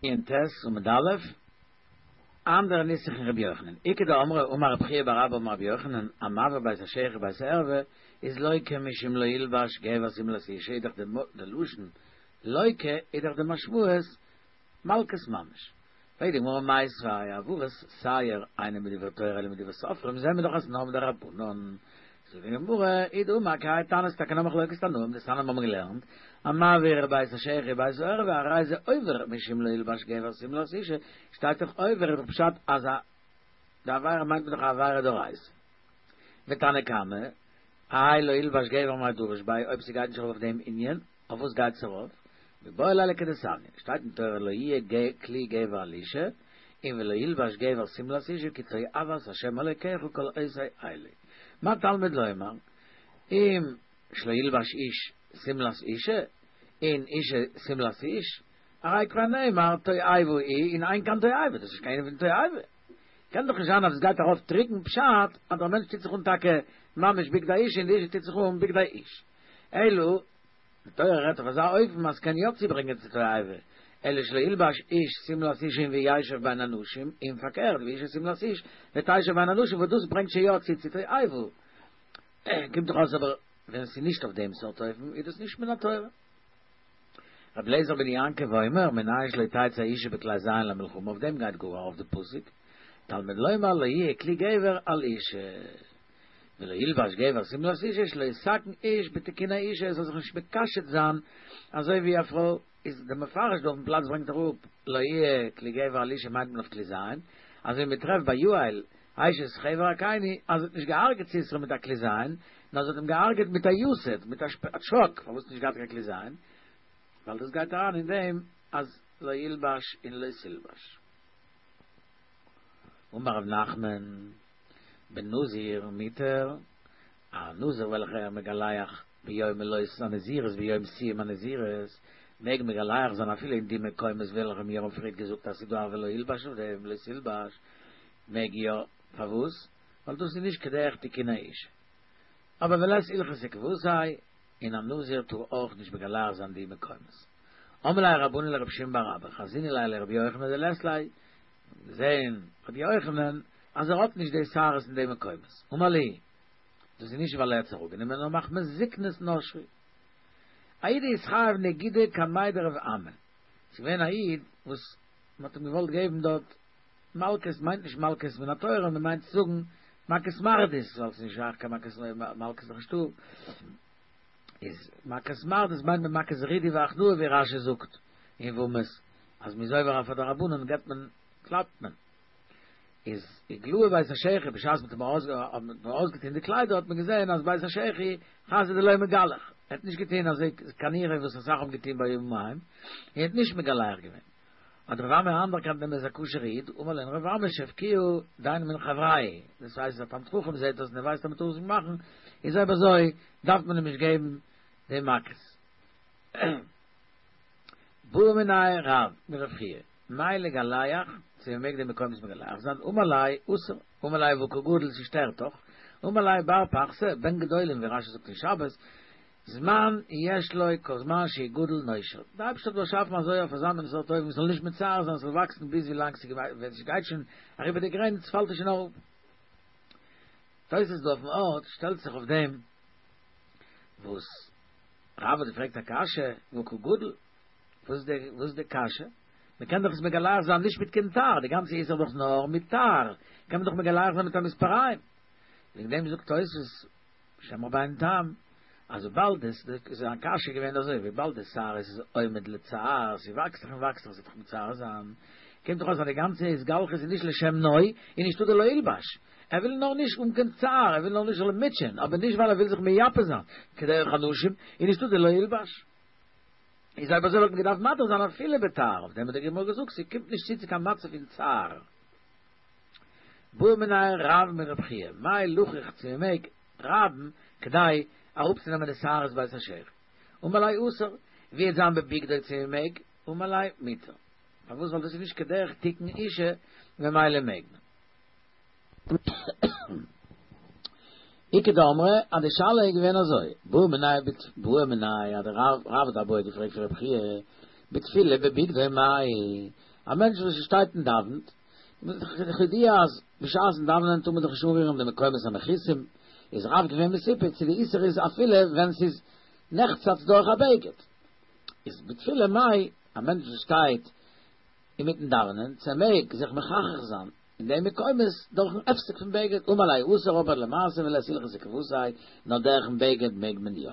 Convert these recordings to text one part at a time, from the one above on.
ע"ט עמוד א', אנדערע נוסח אין רבי יוחנן, איכא דאמרי אמר רבי חייא בר אבא אמר רבי יוחנן, המעביר בית השחי ובית הערווה איז לוקה משום לא ילבש גבר שמלת אשה איז דאך די לשון לוקה איז דאך די משמעות מלקות ממש. פרעגט די גמרא מיתיבי העברת שער אינה מדברי תורה אלא מדברי סופרים זעהן מיר דאך אז נאר מדרבנן. זאגט די גמרא הוא דאמר כי האי תנא ס'טאקע נאר מחלוקת תנאים דתניא האבן געלערנט המעביר בית השחי ובית הערווה הרי זה עובר משום לא ילבש גבר שמלת אשה שטייט דאך עובר איז דאך פשט אז די עבירה מיינט מען דאך א עבירה דאורייתא ותנא קמא האי לא ילבש גבר מאי דריש ביה אויב ס'גייט נישט ארויף אויף דעם ענין אויף וואס גייט עס ארויף? מיבעי ליה לכדתניא, שטייט אין תורה לא יהיה כלי גבר על אשה, און ולא ילבש גבר שמלת אשה כי תועבת ה' אלוקיך כל עושה אלה. מה תלמוד לומר? אם שלא ילבש איש שמלת אשה, און אשה שמלת איש, הרי כבר נאמר תועבה היא און אין כאן תועבה, דאס איז נישט קיין ענין פון תועבה. קען דאך נישט זיין אז עס גייט ארויף טרוקן פשט אז דער מענטש טוט זיך אן טאקע ממש בגדי אשה און די אשה טוט זיך אן בגדי איש. אלא, די תורה רעדט אויף אזא אופן אז ס'קען יא צוברענגען צו תועבה, אלא שלא ילבש איש שמלת אשה וישב בין אנשים, און פארקערט ואשה שמלת איש ותשב בין אנשים וואס דאס ברענגט שוין יא צו צו תועבה. קומט דאך אויס אבער ווען ס'איז נישט אויף דעם סארט אופן איז דאס נישט מן התורה. רבי אליעזר בן יעקב אומר, מנין שלא תצא אשה בכלי זין למלחמה, אויף דעם גייט גאר ארויף די פסוק, תלמוד לומר לא יהיה כלי גבר על אשה. ולא ילבש גבר שמלת אשה שלא יתקן איש בתיקוני אשה ער זאל זיך נישט מקשט זיין אזוי ווי א פרוי איז דער מפרש דא אויפן פלאץ ברענגט אראפ לא יהיה כלי גבר על אשה מיינט מען אויף כלי זין אזוי ווי מען טרעפט ביי יעל אשת חבר הקיני אז זי האט נישט געהארגעט סיסרא מיט א כלי זין נאר זי האט אים געהארגעט מיט א יתד מיט א טשאק פארוואס האט נישט געהאט קיין כלי זין ווייל דאס גייט אריין אין דעם אז לא ילבש און לא תלבש. אמר רב נחמן בנזיר מותר, א נזיר וועלכער מגלח ביום מלאות הנזירות ביום סיום הנזירות, מעג מגלח זיין אפילו אין די מקומות וועלכע מיר האבן פריערט געזאגט אז ס'איז דא א ולא ילבש אויף דעם לא תלבש, מעג יא, פארוואס? ווייל דאס איז נישט כדרך תיקוני אשה. אבער ולית הלכתא כוותיה, און א נזיר טאר אויך נישט מגלח זיין די מקומות. אמרי ליה רבנן לרבי שמעון בר אבא, חזינא ליה לרבי יוחנן דלית ליה, געזען רבי יוחנן אז ער האט נישט די שערות אין די מקומות, אמר להו, דאס איז נישט ווייל ער האט עס אראפגענומען נאר מחמת זקנות נשרו. א איד אתחייב נגידא קמיה דרב אמי, ס'איז געווען א איד וואס מ'האט אים געוואלט געבן דארט מלקות, מיינט נישט מלקות מן התורה, מ'מיינט צו זאגן מכות מרדות, ווייל ס'איז נישט שייך קיין מכות מלקות איז דאך נישטא, איז מכות מרדות מיינט מען מכות רידוי והכנעה ווי רש"י זאגט אין יבמות אז מ'איז עובר אויף א דרבנן געבט מען קלאפט מען. איז איגלאי בית השחי בשעת מ'האט אים אויסגעטון די קליידער האט מען געזען אז בית השחי חזי דלא מגלח ער האט נישט געטון אזוי כנראה וואס אסאך האבן געטון בימים ההם און האט נישט מגלח געווען האט רב אמי אנערקענט אים איז א כשר'ע איד אמר להו רב אמי שבקוהו דיינו מן חברייא דאס הייסט אז א תלמיד חכם זעט דאס און ער ווייסט אז מ'טאר עס נישט מאכן איז אויב אזוי דארף מען אים נישט געבן די מכות. בעא מיניה רב מרב חייא, מהו לגלח, צו מ'מעג די מקומות מגלח זיין, אמר ליה אסור, אמר ליה והא קא גדיל ס'שטערט דאך, אמר ליה בר פחתי, בן גדולים ווי רש"י זאגט אין שבת, זמן יש לו כל זמן שהוא גדל נושר, די אייבערשטער האט באשאפן אזוי אויף אזא מין סארט אופן ס'זאל נישט מצער זיין ס'זאל וואקסן ביז ווי לאנג ווען ס'גייט שוין אריבער די גרעניץ פאלט עס שוין אראפ. תוס' דא אויפן ארט שטעלט זיך אויף דעם וואס רב האט געפרעגט א קשיא, והא קא גדיל? וואס איז די וואס איז די קשיא? מען קען דאך עס מגלח זיין נישט מיט קיין תער, די גאנצע איסור איז דאך נאר מיט תער, קען מען דאך מגלח זיין מיט א מספריים. וועגן דעם זאגט תוס' בשם רבינו תם, אז וויבאלד עס איז א קשיא געווען אזוי, וויבאלד די שערות איז עומד לצער, ס'וואקסט זיך און וואקסט זיך, ס'וועט דאך מצער זיין, קומט דאך אויס אז די גאנצע התגלחות איז נישט לשם נוי, און נישטא די לא ילבש. ער וויל נאר נישט האבן קיין צער, ער וויל נאר נישט זאל אים מוטשען, אבער נישט ווייל ער וויל זיך מייפה זיין, כדרך הנשים, איז נישטא די לא ילבש. איז אויב אזוי וואלט מען געדארפט מתיר זיין אפילו בתער, אויף דעם האט די גמרא געזאגט ס'קומט נישט צו צו קיין מצב פון צער. בעא מיניה רב מרב חייא, מהו לחוך צו מ'מעג רייבן כדי אראפצונעמען די שערות בית השחי. אמר ליה אסור, ווי וועט זיין בבגדו צו מ'מעג, אמר ליה מותר. פארוואס ווייל דאס איז נישט כדרך תיקון אישה ממילא מעג מען. איכא דאמרי אז די שאלה איז געווען אזוי, בעא מיניה בעא מיניה אז דער רב האט א בעיא געפרעגט פון רב חייא בתפילה בבגדו מהו. א מענטש וואס שטייט און דאווענט, כידוע אז בשעת'ן דאווענען טאר מען דאך נישט אנרירן די מקומות המכוסים, איז רב געווען מסופק צו די איסור איז אפילו ווען ס'איז נחצץ דורך א בגד. איז בתפילה מאי, א מענטש וואס שטייט אינמיטן דאווענען, צו ער מעג זיך מחכך זיין אין די מקומות דורכ'ן הפסק פון בגד, אמר ליה אסור אבער למעשה ולית הלכתא כוותיה, נאר דורכ'ן בגד מעג מען יא.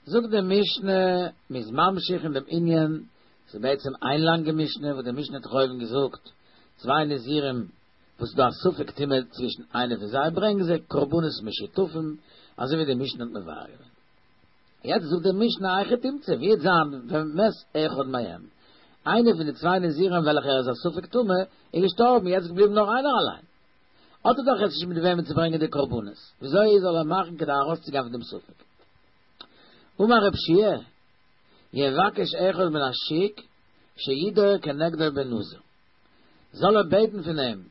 זאגט די משנה, מ'איז ממשיך אין דעם ענין, ס'איז בעצם איין לאנגע משנה וואס די משנה האט דאך אויבן געזאגט, צוויי נזירים וואס איז דא א ספק טומאה צווישן איינער פון זיי, ברענגען זיי קרבנות משותפים, אזוי ווי די משנה האט מבאר געווען. יעצט זאגט די משנה היכי תמצא, ווי וועט זיין ומת אחד מהם, איינער פון די צוויי נזירים וועלכער איז א ספק טמא, איז געשטארבן, יעצט איז געבליבן נאר איינער אליין. האט ער דאך יעצט נישט מיט וועמען צו ברענגען די קרבנות, וויאזוי זאל ער מאכן כדי ארויסצוגיין פון דעם ספק? אמר רב שיע, יבקש אחד מן השוק שידור כנגדו בנזיר, זאל ער בעטן פון אים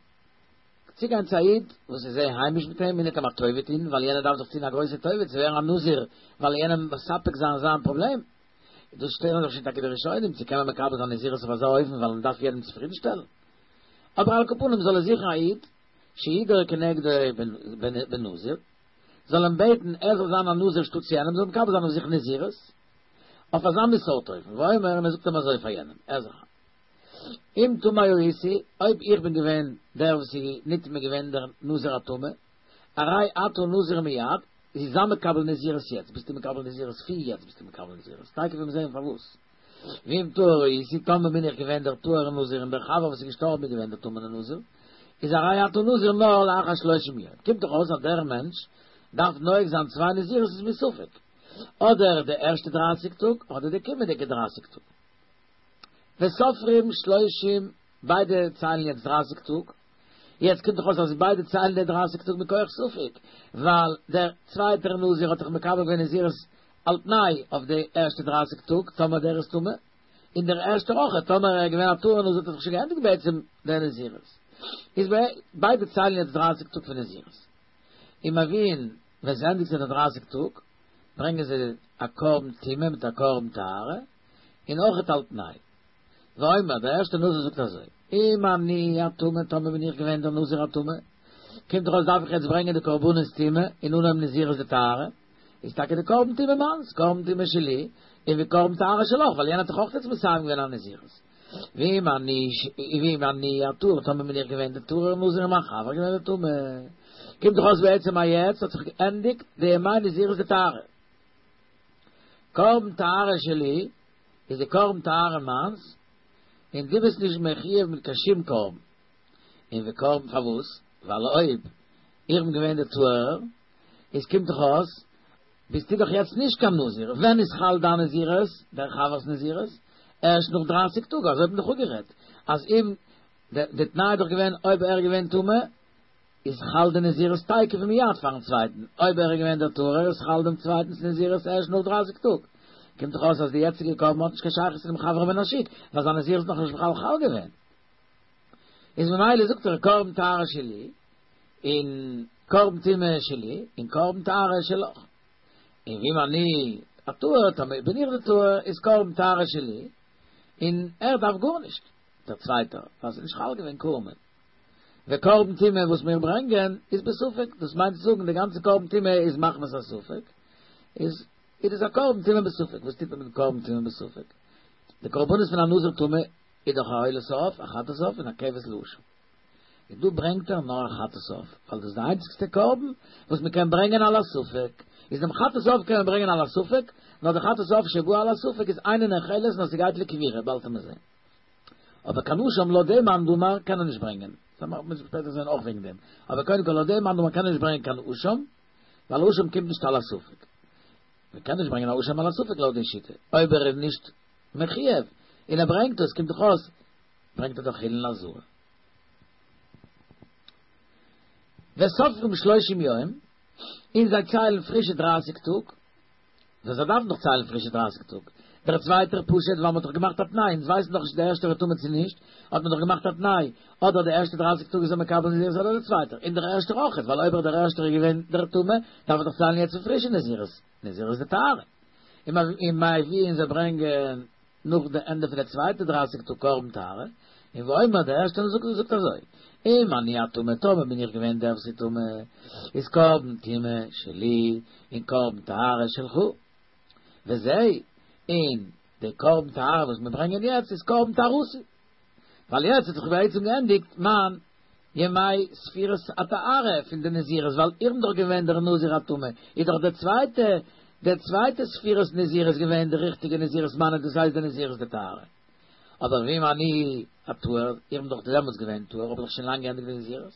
צוגיין צו א איד וואס איז זייער היימיש מיט אים און וועט אים א טובה טון, ווייל יענער דארף דאך טון א גרויסע טובה צו ווערן א נזיר, ווייל יענעם מספק זיין זיין פראבלעם. דאס שטעלן זיך שוין טאקע די ראשונים, צו קען מען מקבל זיין נזירות אויף אזא אופן ווייל מען דארף יעדעם צופרידנשטעלן. אבער על כל פנים זאל ער זוכן א איד שידור כנגדו בנזיר, זאל אים בעטן ער זאל זיין א נזיר שטאטס יענעם, זאל מקבל זיין אויף זיך נזירות, אויף אזא מין סארט אופן, ואומר, און ער זאגט אים אזוי פאר יענעם, ער זאל אם טמא הייתי, אויב איך בין געווען דער וואס איז נטמא געווען דער נזיר הטמא, הרי אתה נזיר מיד, איז זיי מקבל נזירות יעצט, ביסטו מקבל נזירות פון יעצט ביסטו מקבל נזירות, תיכף וועט מען זען פארוואס. ואם טהור הייתי, טאמער בין איך געווען דער טהור'ער נזיר און דער חבר וואס איז געשטארבן איז געווען דער טמא'נער נזיר, איז הרי אתה נזיר נאר לאחר שלושים יום. קומט דאך אויס אז דער מענטש דארף נוהג זיין צוויי נזירות איז מספק, אדער די ערשטע דרייסיג טאג אדער די קומענדיגע דרייסיג טאג. וסופרים שלושים, ביידע ציילן יעצט דרייסיג טאג, יעצט קומט דאך אויס אז ביידע ציילן די דרייסיג טאג מכח ספק, ווייל דער צווייטער נזיר האט דאך מקבל געווען נזירות על תנאי אויף די ערשטע דרייסיג טאג, טאמער דער איז טמא, און דער ערשטער אויך, טאמער ער איז געווען א טהור נזיר האט ער זיך שוין געענדיגט בעצם דער נזירות. איז ביידע ציילן יעצט דרייסיג טאג פון נזירות. ומביאין ווען ס'ענדיגט זיך די דרייסיג טאג, ברענגען זיי א קרבן טומאה מיט א קרבן טהרה, און אויכעט על תנאי. ואומר, דער ערשטער נזיר זאגט אזוי, אם אני הטמא, טאמער בין איך געווען דער נזיר הטמא, קומט דאך אויס דארף איך יעצט ברענגען די קרבנות טומאה און אנהויבן נזירות דטהרה, איז טאקע די קרבן טומאה מיינס, קרבן טומאה שלי, און וקרבן טהרה שלך, ווייל יענער האט דאך אויך יעצט מסיים געווען א נזירות. ואם אני ואם אני הטהור, טאמער בין איך געווען דער טהור'ער נזיר און מיין חבר געווען דער טמא, קומט דאך אויס בעצם אז יעצט האט זיך געענדיגט די ימי נזירות דטהרה. קרבן טהרה שלי, איז די קרבן טהרה מיינס, און דו ביסט נישט מחויב מיט קיין שום קרבן. און וקרבן פארוואס? ווייל אויב איך בין געווען דער טהור'ער, איז קומט דאך אויס, ביסטו דאך יעצט נישט קיין נזיר, ווען איז חל דיין נזירות, דער חבר'ס נזירות? ערשט נאך דרייסיג טאג, אזוי האט מען דאך אפגערעדט, אז אם, די תנאי איז דאך געווען אויב ער איז געווען טמא, איז חל די נזירות תיכף ומיד פארן צווייטן, אויב ער איז געווען דער טהור'ער איז חל דעם צווייטנס נזירות ערשט נאך דרייסיג טאג. קומט דאך אויס אז די יעצטיגע קרבן האט נישט קיין שייכות צו דעם חבר מן השוק, ווייל זיין נזירות איז נאכנישט בכלל חל געווען. איז ממילא זאגט ער קרבן טהרה שלי, און קרבן טומאה שלי, און קרבן טהרה שלך. און ואם אני הטהור, טאמער בין איך דער טהור, איז קרבן טהרה שלי, און ער דארף גארנישט, דער צווייטער, ווייל ס'איז נישט חל געווען קרבן. וקרבן טומאה וואס מיר ברענגען איז בספק, דאס מיינט צו זאגן די גאנצע קרבן טומאה איז מחמת הספק, איז איז דאס א קרבן טומאה בספק, וואס טוט מען מיט קרבן טומאה בספק? די קרבנות פון א נזיר טמא איז דאך א עולת העוף, א חטאת העוף און א כבש לאשם. און דא ברענגט ער נאר א חטאת העוף, ווייל דאס איז די איינציגסטע קרבן וואס מען קען ברענגען על הספק, איז דעם חטאת העוף קען מען ברענגען על הספק, נאר די חטאת העוף שבא על הספק איז אינה נאכלת נאר ס'גייט לקבורה, באלד וועט מען זען. אבער קיין אשם לויט דעם מאן דאמר קען ער נישט ברענגען, דאס מוז מען שפעטער זען אויך וועגן דעם, אבער קודם כל לויט דעם מאן דאמר קען ער נישט ברענגען קיין אשם, ווייל אשם קומט נישט על הספק. מען קען נישט ברענגען א אשם על הספק לויט די שיטה, אויב ער איז נישט מחויב און ער ברענגט עס קומט דאך אויס ברענגט ער דאך חולין לעזרה. וסופרים שלושים יום, און זיי ציילן פרישע דרייסיג טאג, וואס זיי דארפן דאך ציילן פרישע דרייסיג טאג. דער צווייטער פשוט ווייל מ'האט דאך געמאכט א תנאי, אונז ווייסן דאך נישט די ערשטער איז טמא צו נישט, האט מען דאך געמאכט א תנאי, אדער די ערשטע דרייסיג טאג איז ער מקבל נזירות אדער דער צווייטער, און דער ערשטער אויכעט, ווייל אויב דער ערשטער איז געווען דער טמא, דארף ער דאך ציילן יעצט פרישע נזירות, נזירות דטהרה. ומביאין זיי ברענגען. נאך די ענדע פון די צווייטע דרייסיג טאג קרבן טהרה, און ואומר דער ערשטער זאגט זאגט אזוי, אם אני הטמא טאמער בין איך געווען דער וואס איז טמא, איז קרבן טומאה שלי און קרבן טהרה שלך. וזה, און די קרבן טהרה וואס מיר ברענגען יעצט איז קרבן טהרתי. ווייל יעצט האט זיך בעצם געענדיגט מיין ימי ספירת הטהרה פון די נזירות, ווייל איך בין דאך געווען דער נזיר הטמא, איז דאך די צווייטע די צווייטע ספירת נזירות געווען די ריכטיגע נזירות מיינע, דאס הייסט די נזירות דטהרה. אבער ואם אני הטהור, איך בין דאך דעמאלטס געווען טהור, האב איך דאך שוין לאנג געענדיגט די נזירות,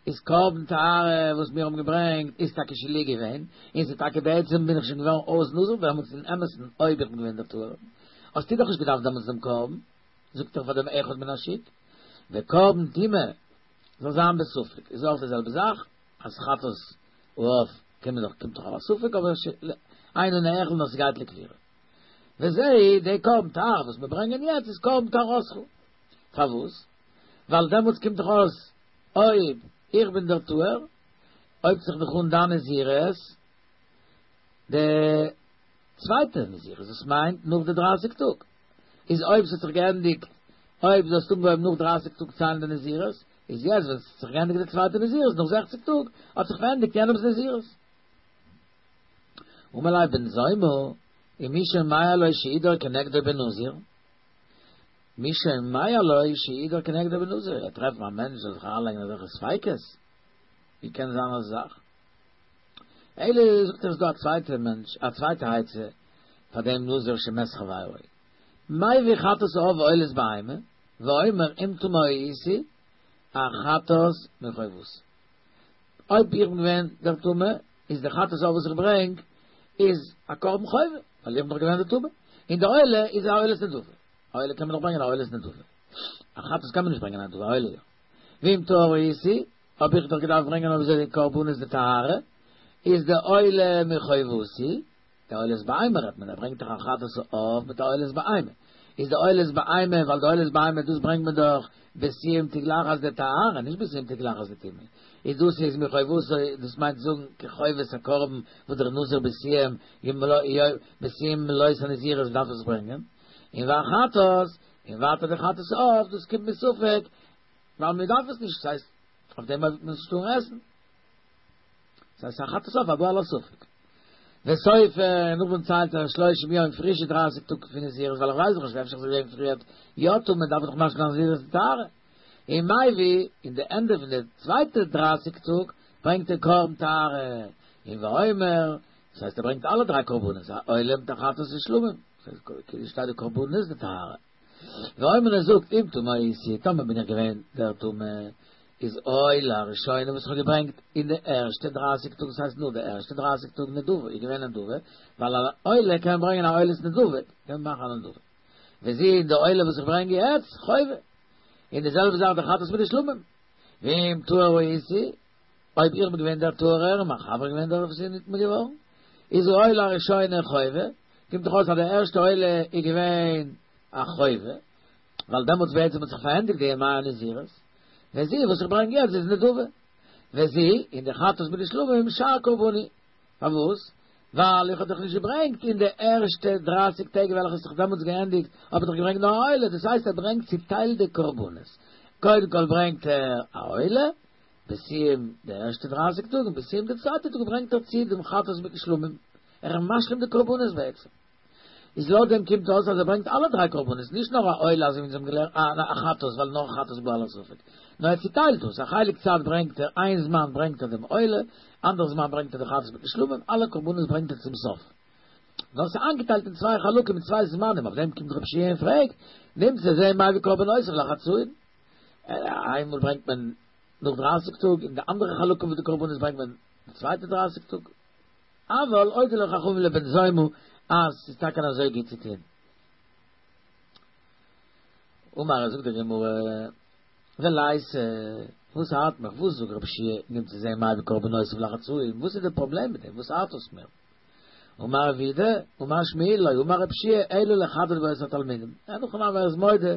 איז קרבן טהרה וואס מיר האבן געברענגט איז טאקע שלי געווען, און ס'איז טאקע בעצם בין איך שוין געווארן אויס נזיר דעמאלטס אין אמת'ן אויב איך בין געווען דער טהור, האסטו דאך נישט געדארפט דעמאלטס דעם קרבן. זאגט ער פאר דעם אחד מן השוק, וקרבן טומאה זאל זיין בספק, איז אויך די זעלבע זאך, אז חטאת העוף קען מען דאך קומט דאך אויף א ספק, אבער אינו נאכל נאר ס'גייט לקבורה. וזה, די קרבן טהרה וואס מיר ברענגען יעצט איז קרבן טהרתך. פארוואס? ווייל דעמאלטס קומט דאך אויס אויב איך בין דער טהור, הויבט זיך דאך אן דיין נזירות, די צווייטע נזירות, דאס מיינט נאך די דרייסיג טאג. איז אויב ס'האט זיך געענדיגט, אויב דו האסט אנגעהויבן נאך דרייסיג טאג ציילן די נזירות, איז יעצט ווען ס'האט זיך געענדיגט די צווייטע נזירות נאך זעכציג טאג, האט זיך פארענדיגט יענעמ'ס נזירות. אמר ליה בן זומא, ומי שומע לו שידור כנגדו בנזיר? מי שומע לו שידור כנגדו בנזיר? ער טרעפט א מענטש זאל זיך אריינלייגן אזעלכע ספיקות? ווי קען זיין אזא זאך? אלא זאגט ער איז דא א צווייטע מענטש א צווייטע עצה פאר דעם נזיר שמת חברו מביא חטאת העוף ועולת בהמה ואומר אם טמא הייתי החטאת מחובתי אויב איך בין געווען דער טמא איז די חטאת העוף וואס איך ברענג איז א קרבן חובה ווייל איך בין דאך געווען דער טמא און די עולה איז א עולת נדבה א עולה קען מען דאך ברענגען א עולת נדבה א חטאת קען מען נישט ברענגען א נדבה א עולה יא ואם טהור הייתי האב איך דאך געדארפט ברענגען אויב אזוי די קרבנות דטהרה, איז די עולה מחובתי, די עולת בהמה רעדט מען, ער ברענגט דאך א חטאת העוף מיט א עולת בהמה, איז די עולת בהמה, ווייל די עולת בהמה דאס ברענגט מען דאך בסיום תגלחת דטהרה, נישט בסיום תגלחת דטומאה, איז דאס איז מחובתי, דאס מיינט זאגן כחובת הקרבן וואס דער נזיר בסיום בסיום מלאות הנזירות דארף עס ברענגען, און והחטאת, און ווייטער די חטאת העוף, דאס קומט מספק, ווייל מען דארף עס נישט, ס'הייסט אויף דעם וועט מען נישט טארן עסן. ס'הייסט א חטאת העוף הבא על הספק. וסופר, נאכדעם ציילט ער שלושים יום פרישע דרייסיג טאג פון נזירות, ווייל איך ווייס דאך נישט אפשר איז געווען פריערט יא טמא, דארף איך דאך משלים זיין נזירות דטהרה. און מביא, אין די ענדע פון די צווייטע דרייסיג טאג, ברענגט ער קרבן טהרה, און ואומר, דאס הייסט ער ברענגט אלע דריי קרבנות, א עולה מיט א חטאת און שלמים, כאילו שטייט די קרבנות דטהרה. ואומר ער זאגט אם טמא הייתי, טאמער בין איך געווען דער טמא, איז עולה הראשונה וואס איך האב געברענגט אין די ערשטע דרייסיג טאג, דאס הייסט נאר די ערשטע דרייסיג טאג נדבה, איז געווען נדבה, ווייל א עולה קען מען ברענגען א עולת נדבה, קען מען מאכן א נדבה. וזו און די עולה וואס איך ברענג יעצט, חובה. און די זעלבע זאך די חטאת מיט די שלמים. ואם טהור הייתי, אויב איך בין געווען דער טהור'ער און מיין חבר איז געווען דער וואס איז נטמא געווארן, איז עולה הראשונה חובה, קומט דאך אויס אז די ערשטע עולה איז געווען א חובה, ווייל דעמאלטס בעצם האט זיך פארענדיגט די ימי הנזירות, וזו וואס איך ברענג יעצט איז נדבה, וזו און די חטאת מיט די שלמים שאר קרבני, פארוואס? ווייל איך האב דאך נישט געברענגט אין די ערשטע דרייסיג טעג וועלכע האט זיך דעמאלטס געענדיגט, האב איך דאך געברענגט נאר א עולה, דאס הייסט ער ברענגט צוטיילט די קרבנות, קודם כל ברענגט ער א עולה, בסיום די ערשטע דרייסיג טאג און בסיום די צווייטע טאג ברענגט ער צו דעם חטאת מיטן שלמים, ער איז משלים די קרבנות בעצם. איז לויט דעם קומט אויס אז ער ברענגט אלע דריי קרבנות, נישט נאר א עולה אזוי ווי אונז האבן געלערנט, א חטאת ווייל נאר חטאת בא על הספק, נאר ער צוטיילט דאס, א חלק צייט ברענגט ער, איין זמן ברענגט ער דעם עולה, אנדערע זמן ברענגט ער די חטאת מיטן שלמים, אלע קרבנות ברענגט ער צום סוף. נאר ס'איז איינגעטיילט אין צוויי חלקים אין צוויי זמנים, אויף דעם קומט רבי יהושע און פרעגט, נמצא זה מביא קרבנותיו לחצאין. איינמאל ברענגט מען נאך דרייסיג טאג, און די אנדערע חלקים פון די קרבנות ברענגט מען די צווייטע דרייסיג טאג. אבל הודו לו חכמים לבן זומא אז ס'איז טאקע אזוי גוט צו טון. אמר זאגט די גמרא, וליתא, וואס ארט מיך, וואס זאגט רבי יהושע נמצא זה מביא קרבנותיו לחצאין, וואס איז די פראבלעם מיט דעם, וואס ארט עס מיר? אמר רב יהודה, אמר שמואל לא אמר רבי יהושע אלא לחדד בו את התלמידים. אין הכי נמי ער איז מודה,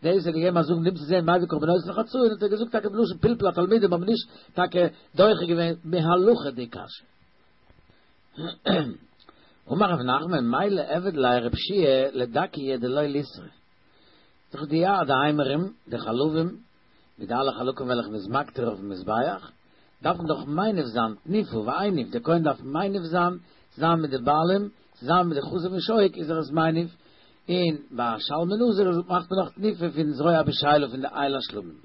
דאס האט געגעבן א זאג נמצא זה מביא קרבנותיו לחצאין האט ער געזאגט טאקע בלשון פלפול התלמידים האבן נישט טאקע דוחה געווען מהלכה די קשיא. אמר רב נחמן מאי ליעביד ליה רב שיע לדכיה דלא ליסרי. דאך די יא די אימורים, די חלבים, מיט די אלע חלקים וועלכע מ'איז מקטיר אויפן מזבח, דארפן דאך מניף זיין תניפו והניף, דער כהן דארף מניף זיין צוזאמען מיט די בעלים, צוזאמען מיט די חזה ושוק איז ער עס מניף, און ביי שלמי נזיר מאכט מען נאך תנופה פון זרוע בשאלה פון די איל השלמים.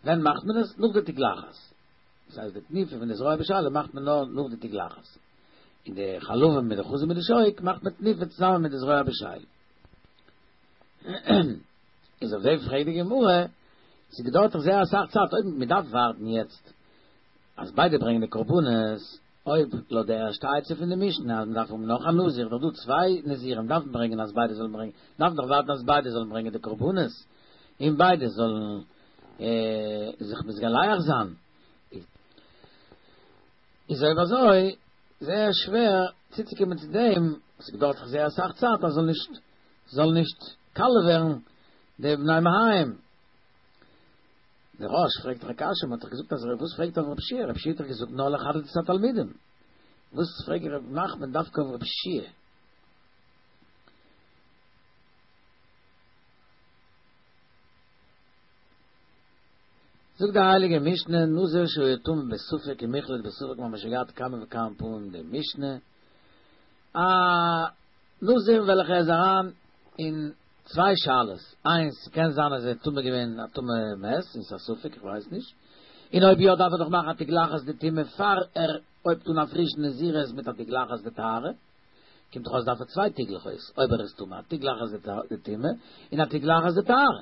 ווען מאכט מען עס? נאך די תגלחת. דאס הייסט די תנופה פון די זרוע בשאלה מאכט מען נאר נאך די תגלחת. און די חלבים מיט די חזה מיט די שוק מאכט מען תנופה צוזאמען מיט די זרוע בשאלה. איז אויף דעם פרעגט די גמרא, ס'געדויערט דאך זייער אסאך צייט אויב מ'דארף ווארטן יעצט אז ביידע ברענגען די קרבנות, אויב לויט די ערשטע עצה פון די משנה אז מ'דארף האבן נאך א נזיר, דאך דא צוויי נזירים דארפן ברענגען אז ביידע זאלן ברענגען, דארף מען דאך ווארטן אז ביידע זאלן ברענגען די קרבנות, און ביידע זאלן זיך מתגלח זיין. איז אויב אזוי זייער שווער צוצוקומען צו דעם, ס'געדויערט דאך זייער אסאך צייט אז זאל נישט זאל נישט קאלע ווערן די בני מעיים. דער רא"ש פרעגט דאך א קשיא, מ'האט דאך געזאגט אז וואס פרעגט אויף רב שיע, רב שיע האט דאך געזאגט נאר לחדד את התלמידים, וואס פרעגט רב נחמן דווקא אויף רב שיע? זאגט די הייליגע משנה, נזיר שהיה טמא בספק ומוחלט בספק, מ'האמיר שוין געהאט כמה וכמה פעמים די משנה, א נזיר וועלכע איז אריין אין צוויי שאלות, איינס, ס'קען זיין אז ער איז טמא געווען א טמא מת, און ס'איז א ספק, איך ווייס נישט, און אויב יא דארף ער דאך מאכן א תגלחת דטומאה פאר ער הויבט אן א פרישן נזירות מיט א תגלחת דטהרה, קומט דאך אויס דארף ער צוויי תגלחות, אויב ער איז טמא, א תגלחת דטומאה און א תגלחת דטהרה.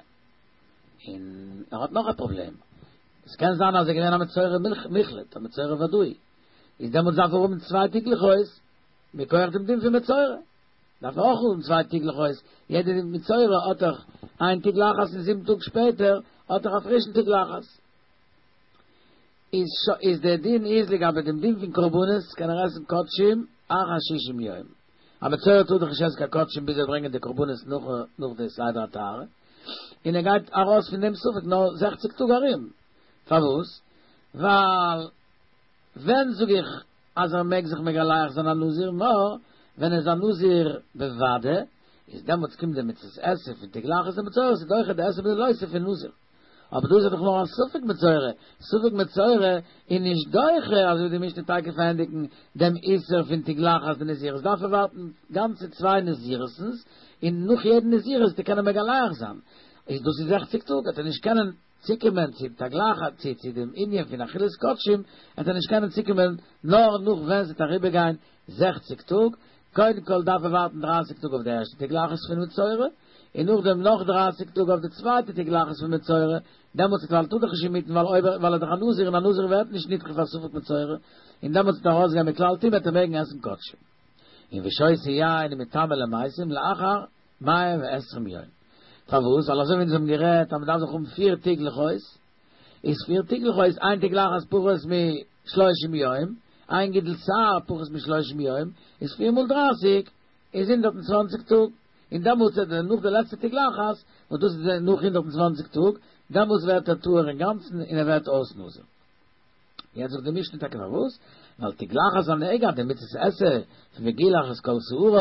און ער האט נאך א פראבלעם, עס קען זיין אז ער איז געווען א מצורע מוחלט, א מצורע ודאי, איז דעמאלטס דארף ער האבן צוויי תגלחות, מכח דעם דין פון מצורע, דארף ער אויך האבן צוויי תגלחות, יעדע מצורע האט דאך איין תגלחת און זיבן טאג שפעטער האט ער א פרישן תגלחת. איז איז דער דין איז לגבי דעם דין פון קרבנות קען ער עסן קדשים אחר שישים יום, א מצורע טאר דאך נישט עסן קיין קדשים ביז ער ברענגען די קרבנות נאך נאך די סדר הטהרה, און ער גייט ארויס פון דעם ספק נאר זעכציג טאג ארום, פארוואס? ווייל ווען זאג איך אז ער מעג זיך מגלח זיין א נזיר נאר ווען ער איז א נזיר בוודאי, איז דעמאלטס קומט די מצות עשה פון תגלחת דמצורע, ס'איז דוחה די עשה מיט די לא תעשה פון נזיר. אבער דא איז ער דאך נאר א ספק מצורע, ספק מצורע איז נישט דוחה, אזוי ווי די משנה תיכף ענדיגן דעם איסור פון תגלחת דנזירות דארף ער ווארטן גאנצע צוויי נזירות'נס און נאך יעדן נזירות צו קענען מגלח זיין, איז דאס איז זעכציג טאג, וועט ער נישט קענען צוקומען צו תגלחת צו צו דעם ענין פון אכילת קדשים וועט ער נישט קענען צוקומען נאר נאך ווען ס'וועט אריבערגיין זעכציג טאג, קודם כל דארף ער ווארטן דרייסיג טאג אויף די ערשטע תגלחת פון מצורע, און נאכדעם נאך דרייסיג טאג אויף די צווייטע תגלחת פון מצורע, דעמאלטס ווייל ער טאר דאך נישט אינמיטן ווייל אויב ווייל ער איז דאך א נזיר און א נזיר ווערט נישט נדחה פאר ספק מצורע, און דעמאלטס וועט ער ארויסגיין מכלל טומאה וועט ער מעגן עסן קדשים. און ושותה יין ומטמא למתים לאחר מאה ועשרים יום. פארוואס? ווייל אזוי ווי אונז האבן גערעדט אז מ'דארף דאך האבן פיר תגלחות, איז פיר תגלחות, איין תגלחת פחות משלושים יום, איין גידול שער פחות משלושים יום, איז פיר מאל דרייסיג איז הונדערט און צוואנציג טאג, און דעמאלטס איז נאך די לעצטע תגלחת, וואס דאס איז נאך הונדערט און צוואנציג טאג, דעמאלטס ווערט ער טהור אינגאנצן און ער ווערט אויס נזיר. יעצט זאגט די משנה טאקע פארוואס, ווייל תגלחת הנגע די מצות עשה פון וגילח את כל שערו,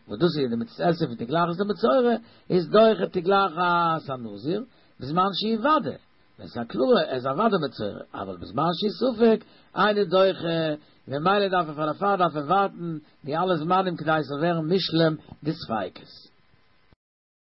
וואס דאס איז די מצות עשה פון תגלחת דמצורע, איז דוחה תגלחת הנזיר, בזמן שהיא ודאי, ווען ס'איז א קלארע ער איז א ודאי מצורע, אבל בזמן שהיא ספק, אינו דוחה, ממילא דארף ער פאר דערפאר דארף ער ווארטן די אלע זמנים כדי ס'זאל ווערן מושלם די ספיקות.